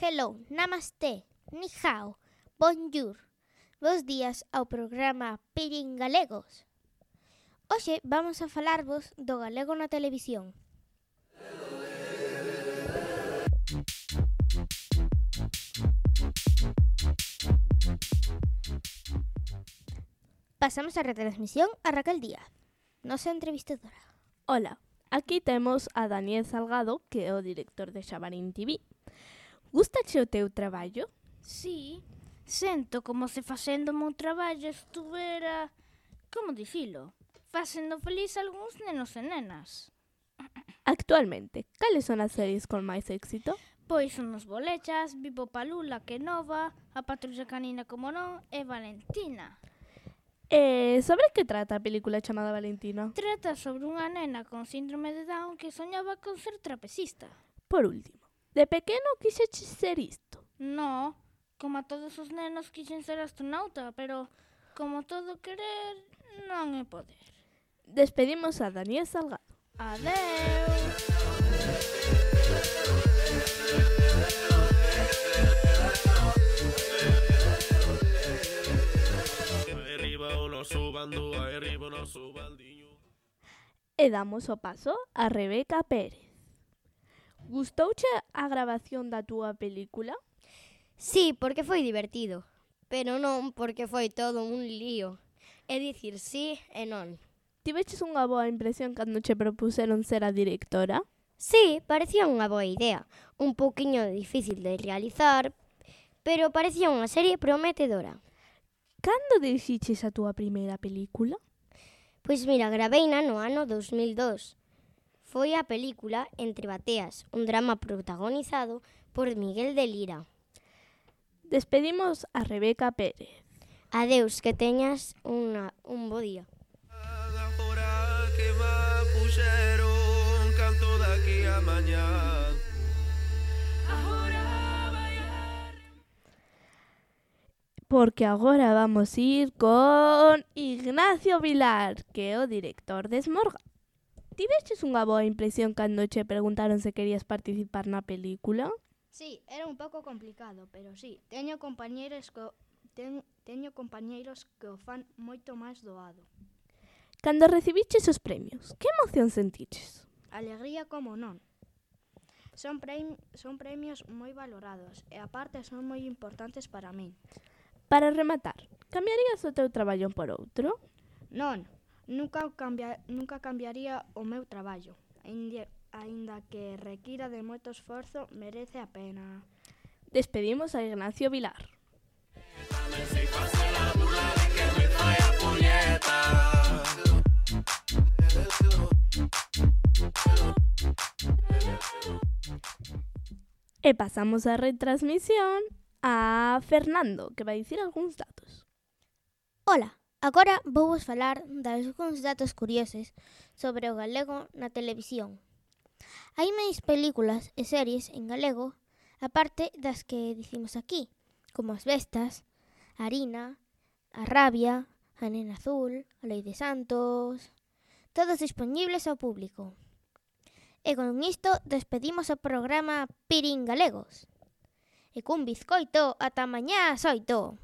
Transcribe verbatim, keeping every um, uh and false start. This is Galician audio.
hello, namaste, ni hao, bonjour. Bos días ao programa Pirín Galegos. Hoxe vamos a falarvos do galego na televisión. Pasamos a retransmisión a Raquel Díaz, nosa entrevistadora. Ola, aquí temos a Daniel Salgado, que é o director de Xabarín T V. Gustache o teu traballo? Sí, sento como se facendo o meu traballo estuvera, como dicilo, facendo feliz a algúns nenos e nenas. Actualmente, cales son as series con máis éxito? Pois son os Bolechas, Vivo Palula, que nova, A Patrulla Canina como non e Valentina. E sobre que trata a película chamada Valentina? Trata sobre unha nena con síndrome de Down que soñaba con ser trapecista. Por último, de pequeno quixeches ser isto? No, como a todos os nenos quixen ser astronauta, pero como todo querer non é poder. Despedimos a Daniel Salgado. Adeus! E damos o paso a Rebeca Pérez. Gustouche a gravación da túa película? Sí, porque foi divertido, pero non porque foi todo un lío. É dicir sí e non. Tiveches unha boa impresión cando che propuseron ser a directora? Sí, parecía unha boa idea, un pouquiño difícil de realizar, pero parecía unha serie prometedora. Cando dirixiches a túa primeira película? Pois mira, graveina no ano dos mil dos. Foi a película Entre bateas, un drama protagonizado por Miguel de Lira. Despedimos a Rebeca Pérez. Adeus, que teñas unha, un bo día. Porque agora vamos ir con Ignacio Vilar, que é o director de Esmorga. Tiveches unha boa impresión cando che preguntaron se querías participar na película? Sí, era un pouco complicado, pero sí, teño compañeiros que, ten, teño compañeiros que o fan moito máis doado. Cando recibiches os premios, que emoción sentiches? Alegría como non. Son, premi- son premios moi valorados e aparte son moi importantes para min. Para rematar, cambiarías o teu traballo por outro? Non, nunca, cambia, nunca cambiaría o meu traballo. Ainda, ainda que requira de moito esforzo, merece a pena. Despedimos a Ignacio Vilar. E pasamos a retransmisión a Fernando, que vai dicir algúns datos. Ola, agora vou vos falar de algúns datos curiosos sobre o galego na televisión. Hai máis películas e series en galego, aparte das que dicimos aquí, como As Bestas, Harina, A Rabia, A Nena Azul, A Lei de Santos, todos dispoñibles ao público. E con isto despedimos o programa Pirín Galegos. E cun bizcoito ata mañá ás oito.